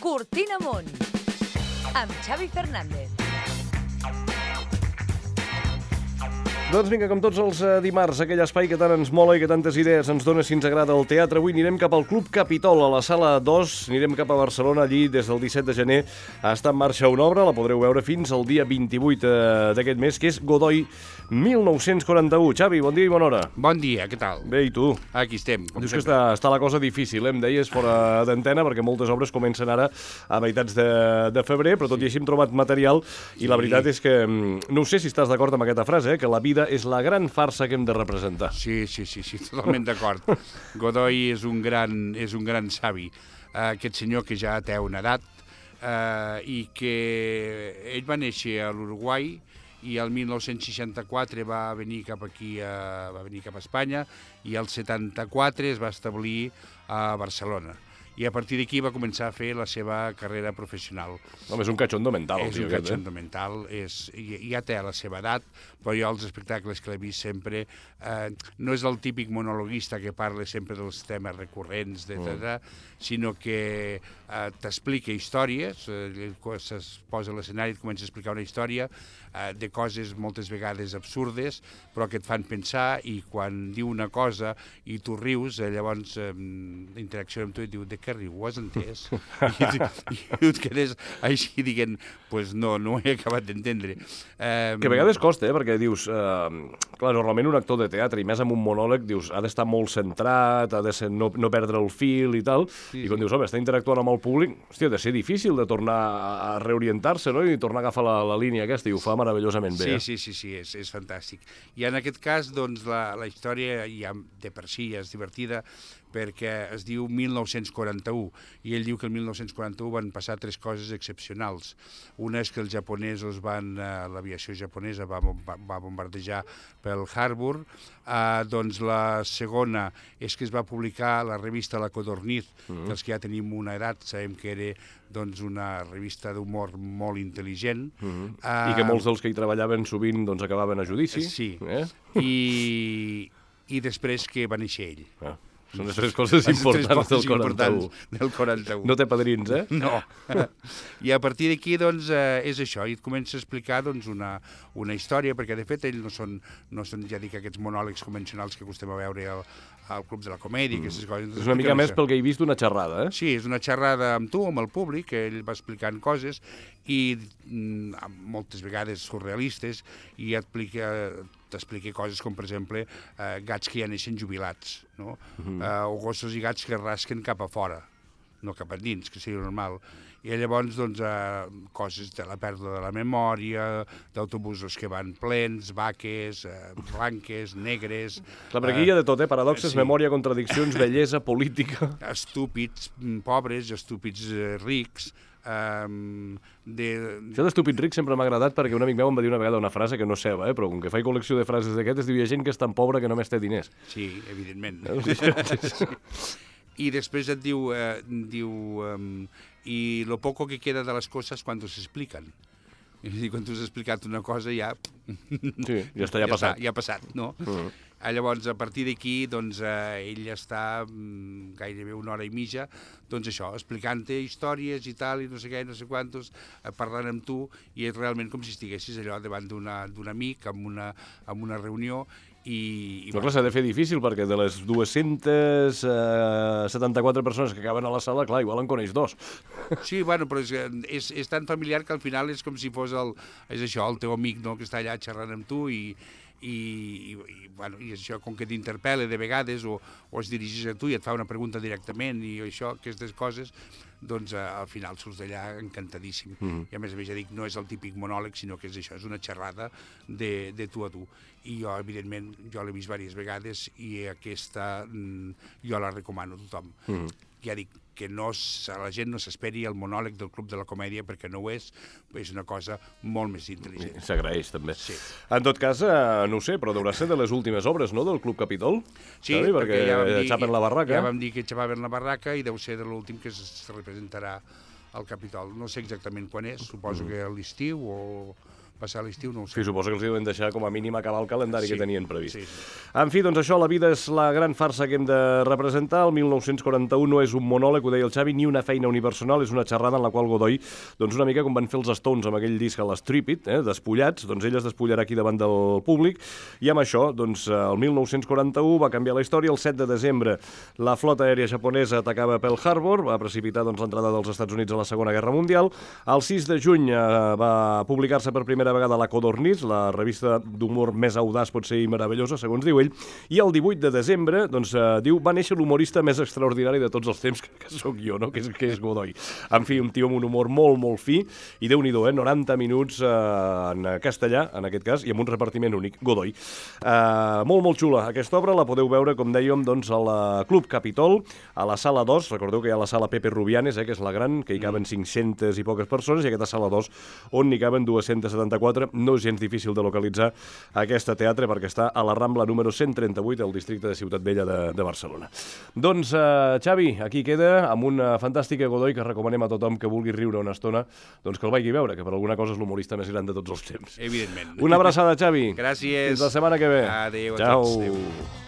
Cortina Amunt, amb Xavi Fernández. Doncs vinga, com tots els dimarts, aquell espai que tant ens mola i que tantes idees ens dona si ens agrada el teatre. Avui anirem cap al Club Capitol, a la sala 2. Anirem cap a Barcelona, allí des del 17 de gener està en marxa una obra, la podreu veure fins al dia 28 d'aquest mes, que és Godoy 1941. Xavi, bon dia i bona hora. Bon dia, què tal? Bé, i tu? Aquí estem. Dius que està la cosa difícil, em deies, fora d'antena, perquè moltes obres comencen ara a meitats de febrer, però tot i així hem trobat material i la veritat és que, no sé si estàs d'acord amb aquesta frase, que la vida és la gran farsa que hem de representar. Sí, totalment d'acord. Godoy és un gran savi. Aquest senyor que ja té una edat i que ell va néixer a l'Uruguai i el 1964 va venir cap aquí, va venir cap a Espanya, i el 74 es va establir a Barcelona. I a partir d'aquí va començar a fer la seva carrera professional. Home, és un cachondo mental. És un cachondo mental, ja té la seva edat, però jo els espectacles que l'he vist sempre, no és el típic monologuista que parla sempre dels temes recurrents, sinó que t'explica històries, es posa a l'escenari i et comença a explicar una història de coses moltes vegades absurdes, però que et fan pensar, i quan diu una cosa i tu rius, llavors interacciona amb tu i et diu, de què riu? Ho has entès? I et quedes així dient, pues no ho he acabat d'entendre. Que a vegades costa, perquè dius, clar, normalment un actor de teatre, i més amb un monòleg, dius, ha d'estar molt centrat, ha de no perdre el fil i tal, i quan dius, home, està interactuant amb el públic, hòstia, ha de ser difícil de tornar a reorientar-se, no?, i tornar a agafar la línia aquesta, i ho fa meravellosament bé. Sí, és fantàstic. I en aquest cas, doncs, la història ja de per si és divertida, perquè es diu 1941, i ell diu que el 1941 van passar tres coses excepcionals. Una és que els japonesos l'aviació japonesa va bombardejar Pearl Harbor, doncs la segona és que es va publicar la revista La Codorniz, que els que ja tenim una edat sabem que era doncs una revista d'humor molt intel·ligent. I que molts dels que hi treballaven sovint doncs acabaven a judici. Sí, i després que va néixer ell. Són les tres coses importants del 41. No té padrins, eh? No. I a partir d'aquí, doncs, és això, i et comença a explicar doncs, una història, perquè de fet ell no són, ja dic, aquests monòlegs convencionals que acostem a veure al Club de la Comèdia, aquestes coses. És una mica més pel que he vist una xerrada, eh? Sí, és una xerrada amb tu, amb el públic, que ell va explicant coses, i moltes vegades surrealistes, i t'explica coses com, per exemple, gats que ja neixen jubilats, no? O gossos i gats que rasquen cap a fora, no cap a dins, que seria normal. I llavors, doncs, coses de la pèrdua de la memòria, d'autobusos que van plens, vaques, blanques, negres... Clar, per aquí hi ha de tot, paradoxes, memòria, contradiccions, bellesa, política... Estúpids pobres, estúpids rics... Això d'estúpid ric sempre m'ha agradat, perquè un amic meu em va dir una vegada una frase que no és seva, però com que faig col·lecció de frases d'aquestes, diu, hi ha gent que és tan pobra que només té diners. Sí, evidentment. I després et diu i lo poco que queda de les coses quan se expliquen. És a dir, quan tu has explicat una cosa ja... Sí, ja està, ja ha passat. Ja ha passat, no? Llavors, a partir d'aquí, doncs, ell està gairebé una hora i mitja, doncs això, explicant-te històries i tal, i no sé què, no sé quantos, parlant amb tu, i és realment com si estiguessis allò davant d'un amic, en una reunió, Però clar, s'ha de fer difícil, perquè de les 274 persones que acaben a la sala, clar, igual en coneix dos. Sí, bueno, però és tan familiar que al final és com si fos el teu amic, no?, que està allà xerrant amb tu, i això, com que t'interpel·la de vegades o es dirigeix a tu i et fa una pregunta directament i això, aquestes coses, doncs al final surts d'allà encantadíssim. I a més, ja dic, no és el típic monòleg, sinó que és això, és una xerrada de tu a tu. I jo, evidentment, l'he vist diverses vegades i aquesta jo la recomano a tothom. Ja dic, que la gent no s'esperi el monòleg del Club de la Comèdia, perquè no ho és una cosa molt més intel·ligent. S'agraeix, també. Sí. En tot cas, no ho sé, però deurà ser de les últimes obres, no?, del Club Capitol? Sí, perquè ja xapen la barraca. Ja vam dir que xapaven la barraca i deu ser de l'últim que es representarà al Capitol. No sé exactament quan és, suposo que a l'estiu o... passar l'estiu no ho sé. Sí, suposo que els deuen deixar com a mínim acabar el calendari que tenien previst. Sí. En fi, doncs això, la vida és la gran farsa que hem de representar. El 1941 no és un monòleg, ho deia el Xavi, ni una feina unipersonal, és una xerrada en la qual Godoy, doncs una mica com van fer els Stones amb aquell disc a l'Strip It, despullats, doncs ell es despullarà aquí davant del públic, i amb això, doncs, el 1941 va canviar la història. El 7 de desembre la flota aèria japonesa atacava Pearl Harbor, va precipitar doncs, l'entrada dels Estats Units a la Segona Guerra Mundial. El 6 de juny va publicar-se per primera vegada la Codorniz, la revista d'humor més audaç, pot ser i meravellosa, segons diu ell, i el 18 de desembre, doncs, diu, va néixer l'humorista més extraordinari de tots els temps, que sóc jo, no? que és Godoy. En fi, un tio amb un humor molt, molt fi, i Déu-n'hi-do, 90 minuts en castellà, en aquest cas, i amb un repartiment únic, Godoy. Molt, molt xula. Aquesta obra la podeu veure, com dèiem, doncs, al Club Capitol, a la sala 2, recordeu que hi ha la sala Pepe Rubianes, que és la gran, que hi caben 500 i poques persones, i aquesta sala 2, on n'hi caben 274. No és gens difícil de localitzar aquesta teatre, perquè està a la Rambla número 138, al districte de Ciutat Vella de Barcelona. Doncs, Xavi, aquí queda, amb una fantàstica Godoy que recomanem a tothom que vulgui riure una estona, doncs que el vagi a veure, que per alguna cosa és l'humorista més gran de tots els temps. Evidentment. Una abraçada, Xavi. Gràcies. Fins la setmana que ve. Adéu a Ciao. tots. Adéu.